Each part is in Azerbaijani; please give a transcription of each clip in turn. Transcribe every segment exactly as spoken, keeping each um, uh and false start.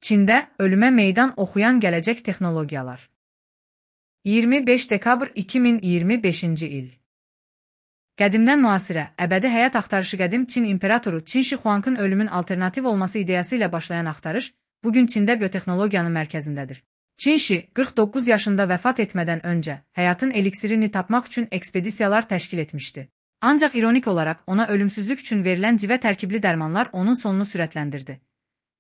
Çində ölümə meydan oxuyan gələcək texnologiyalar. iyirmi beş dekabr iki min iyirmi beşinci il. Qədimdən müasirə, əbədi həyat axtarışı qədim Çin imperatoru Çin Şi Huangın ölümün alternativ olması ideyası ilə başlayan axtarış, bugün Çində biotexnologiyanın mərkəzindədir. Çin Şi qırx doqquz yaşında vəfat etmədən öncə həyatın eliksirini tapmaq üçün ekspedisiyalar təşkil etmişdi. Ancaq ironik olaraq ona ölümsüzlük üçün verilən civə tərkibli dərmanlar onun sonunu sürətləndirdi.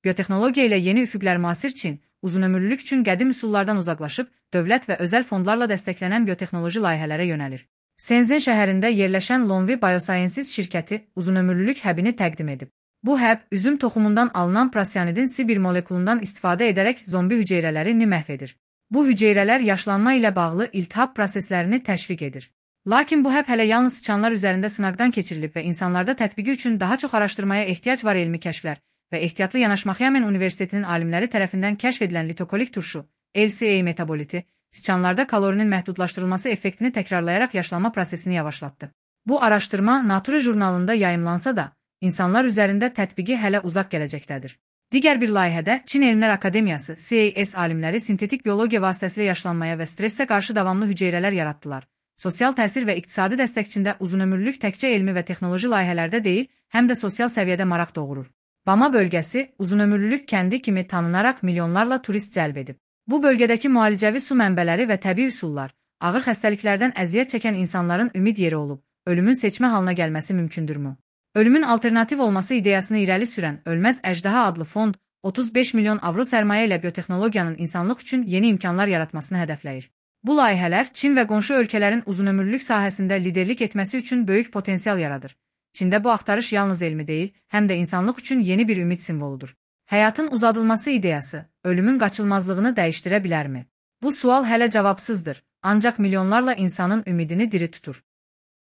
Biotexnologiya ilə yeni üfüqlər müasir Çin, uzunömürlülük üçün qədim üsullardan uzaqlaşıb, dövlət və özəl fondlarla dəstəklənən biotexnoloji layihələrə yönəlir. Shenzhen şəhərində yerləşən Lonvi Biosciences şirkəti uzunömürlülük həbini təqdim edib. Bu həb, üzüm toxumundan alınan prosyanidin C bir molekulundan istifadə edərək zombi hüceyrələrini məhv edir. Bu hüceyrələr yaşlanma ilə bağlı iltihab proseslərini təşviq edir. Lakin bu həb hələ yalnız sıçanlar üzərində sınaqdan keçirilib və insanlarda tətbiqi üçün daha çox araşdırmaya ehtiyac var. Elmi kəşflər və ehtiyatlı yanaşmaq Yamen Universitetinin alimləri tərəfindən kəşf edilən litokolik turşu, L C A metaboliti, sıçanlarda kalorinin məhdudlaşdırılması effektini təkrarlayaraq yaşlanma prosesini yavaşlatdı. Bu araşdırma Nature jurnalında yayımlansa da, insanlar üzərində tətbiqi hələ uzaq gələcəkdədir. Digər bir layihədə Çin Elmlər Akademiyası C A S alimləri sintetik biologiya vasitəsilə yaşlanmaya və stressə qarşı davamlı hüceyrələr yaratdılar. Sosial təsir və iqtisadi dəstəkçində uzunömürlülük təkcə elmi və texnoloji layihələrdə deyil, həm də sosial səviyyədə maraq doğurur. Bama bölgəsi uzunömürlülük kəndi kimi tanınaraq milyonlarla turist cəlb edib. Bu bölgədəki müalicəvi su mənbələri və təbii üsullar, ağır xəstəliklərdən əziyyət çəkən insanların ümid yeri olub, ölümün seçmə halına gəlməsi mümkündürmü? Ölümün alternativ olması ideyasını irəli sürən Ölməz Əjdaha adlı fond, otuz beş milyon avro sərmayə ilə biotexnologiyanın insanlıq üçün yeni imkanlar yaratmasını hədəfləyir. Bu layihələr Çin və qonşu ölkələrin uzunömürlülük sahəsində liderlik etməsi üçün böyük potensial yaradır. Çində bu axtarış yalnız elmi deyil, həm də insanlıq üçün yeni bir ümid simvoludur. Həyatın uzadılması ideyası, ölümün qaçılmazlığını dəyişdirə bilərmi? Bu sual hələ cavabsızdır, ancaq milyonlarla insanın ümidini diri tutur.